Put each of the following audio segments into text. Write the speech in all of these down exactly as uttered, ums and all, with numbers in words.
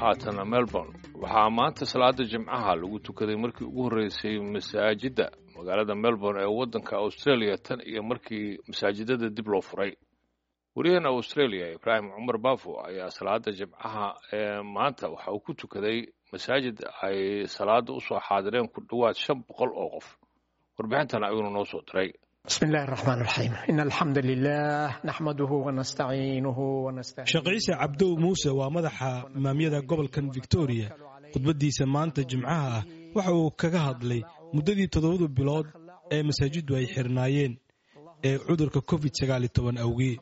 Haatana Melbourne waxaa maanta salaada Jimcaha lagu tukaday markii ugu horreysay masaajidda magaalada Melbourne ee waddanka Australia tan iyo markii masaajidada dib loo furay. Wariyahan Australia Ibraahim Cumar Baafo ayaa salaada Jimcaha ee maanta waxa uu ku tukaday masaajid ay salaada u soo xaadireen ku dhowaad shan boqol oo qof. Warbixintan ayuuna noo soo diray. بسم الله الرحمن الرحيم، إن الحمد لله نحمده ونستعينه ونستهديه. Sheekh Ciise Cabdow Muuse waa madaxa imaamyada gobolkan Victoria. Khudbadiisa maanta Jimcaha ah waxa uu kaga hadlay muddadii toddobada bilood ee masaajiddu ay xirnaayeen ee cudurka covid sagaal iyo toban awgii,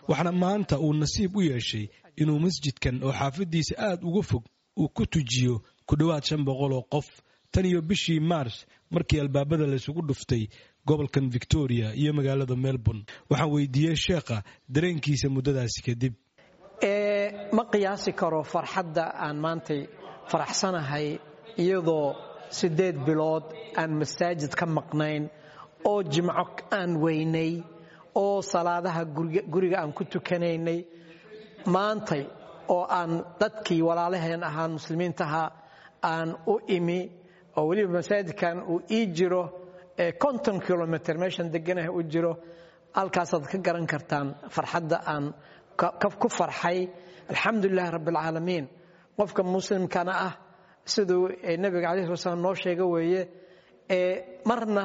waxaana maanta uu nasiib u yeeshay inuu masjidkan oo xaafadiisa aad uga fog uu ku tujiyo ku dhowaad shan boqol oo qof tan iyo bishii Maars markii albaabada laysugu dhuftay gobolkan Victoria iyo magaalada Melbourne. Waxaan weydiiyey sheekha dareenkiisa muddadaasi kadib. Ma qiyaasi karo farxadda aan maantay faraxsanahay, iyadoo siddeed bilood aan masaajid ka maqnayn oo jimco aan weynay oo salaadaha guriga aan ku tukanaynay. Maantay oo aan dadkii walaalaheen ahaan muslimiintaha aan u imi, oo weliba masaajidkan uu ii jiro konton kilomitr meeshan deganaha u jiro, halkaasaad ka garan kartaan farxadda aan ku farxay. Alxamdulilahi rabbi alcaalamiin. Qofka muslimkana ah, siduu nabiga alayh sala slam noo sheega weeye, marna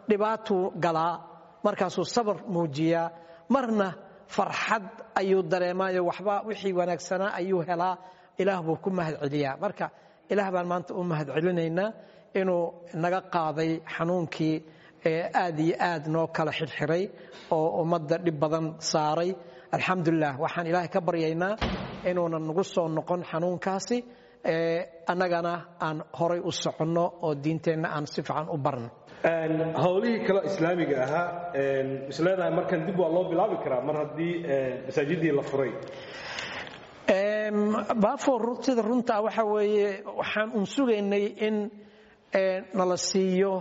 dhibaatuu galaa, markaasuu sabar muujiyaa, marna farxad ayuu dareemaayo, waxba wixii wanaagsanaa ayuu helaa, Ilaah buu ku mahad celiyaa. Marka Ilaah baan maanta u mahad celinaynaa inuu naga qaaday xanuunkii aad iyo aad noo kala xirxiray oo ummadda dhib badan saaray. Alxamdulilah, waxaan Ilaahay ka baryaynaa inuunan nagu soo noqon xanuunkaasi, annagana aan horay u soconno oo diinteenna aan si fiican u barno. Howlihii kale islaamiga ahaa isleedahay markan dib waa loo bilaabi karaa mar haddii masaajidii la furay? Baafo, sida runtaa waxa weeye, waxaan un sugaynay in nala siiyo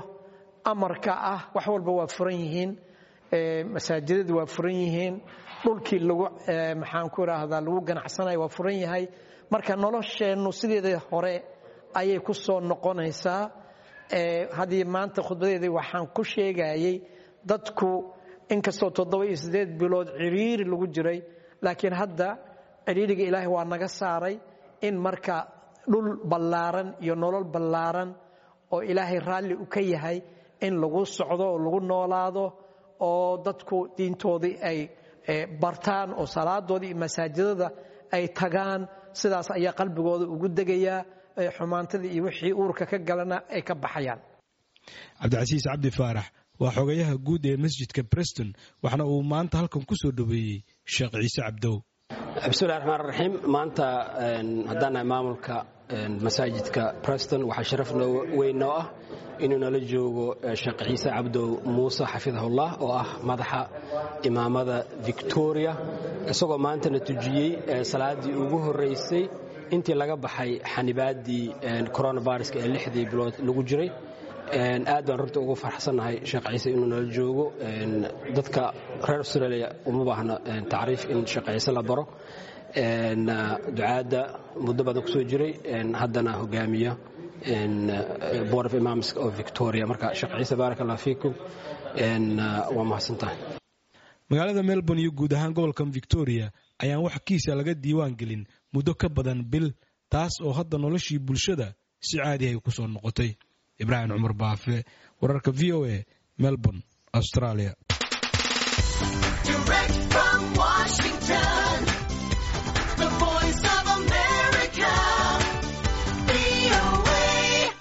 amarka ah wax walba waa furan yihiin, masaajidadu waa furan yihiin, dhulkii lagu, maxaan ku idhaahdaa, lagu ganacsanayo waa furan yahay. Marka nolosheennu sideedii hore ayay ku soo noqonaysaa. Haddii maanta khudbadeedii waxaan ku sheegayay, dadku inkastoo toddoba iyo siddeed bilood ciriiri lagu jiray, laakiin hadda ciriiriga Ilaahay waa naga saaray, in marka dhul ballaaran iyo nolol ballaaran oo Ilaahay raalli u ka yahay in lagu socdo oo lagu noolaado, oo dadku diintoodii ay bartaan oo salaadoodii iyo masaajidada ay tagaan. Sidaas ayaa qalbigooda ugu degayaa, xumaantadii iyo wixii uurka ka galana ay ka baxayaan. Cabdicasiis Cabdi Faarax waa xogayaha guud ee masjidka Preston, waxaana uu maanta halkan ku soo dhoweeyey Sheekh Ciise Cabdow. Bismillahi raxmaan raxiim. Maanta haddaan nahay maamulka masaajidka Preston, waxaa sharaf weyn noo ah inuu nala joogo Sheekh Ciise Cabdow Muuse xafidahullah, oo ah madaxa imaamada Victoria, isagoo maantana tujiyey salaadii ugu horreysay intii laga baxay xanibaaddii coronaviruska ee lixdii bilood lagu jiray. Aad baan runta ugu farxsannahay Sheekh Ciise inuu nala joogo. Dadka reer Australia uma baahna tacriif in Sheekh Ciise la baro, ducaadda muddo badan kusoo jiray, haddana hogaamiya Board of Imams of Victoria. Marka Sheekh Ciise, baarak allah fiikum, waa mahadsantahay. Magaalada Melbourne iyo guud ahaan gobolkan Victoria ayaan wax kiisa laga diiwaan gelin muddo ka badan bil, taas oo hadda noloshii bulshada si caadi ay ku soo noqotay. Ibraahim Cumar Baafe, wararka V O A, Melbourne, Australia. Direct from Washington.